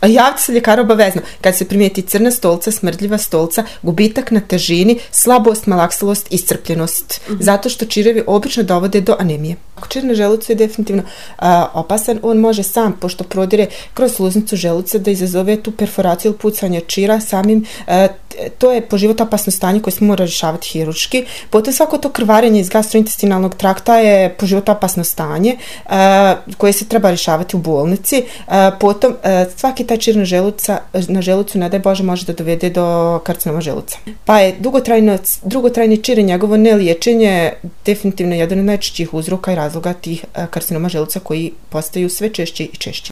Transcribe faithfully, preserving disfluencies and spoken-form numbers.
Javite se ljekaru obavezno. Kad se primijeti crna stolca, smrdljiva stolca, gubitak na težini, slabost, malaksalost, iscrpljenost. Mm-hmm. Zato što čirevi obično dovode do anemije. Ako čir na želucu je definitivno a, opasan, on može sam, pošto prodire kroz sluznicu želuca, da izazove tu perforaciju ili pucanje čira samim. A, to je po životu opasno stanje koje smo mora rješavati hirurški. Potom svako to krvarenje iz gastrointestinalnog trakta je po životu opasno stanje a, koje se treba rješavati u bolnici. A, potom a, svaki taj čir na, želuca, na želucu, ne daj Bože, može da dovede do karcinoma želuca. Pa je dugotrajno, dugotrajni čir i njegovo neliječenje definitivno jedan od najčešćih uzroka i razloga tih karcinoma želuca koji postaju sve češće i češće.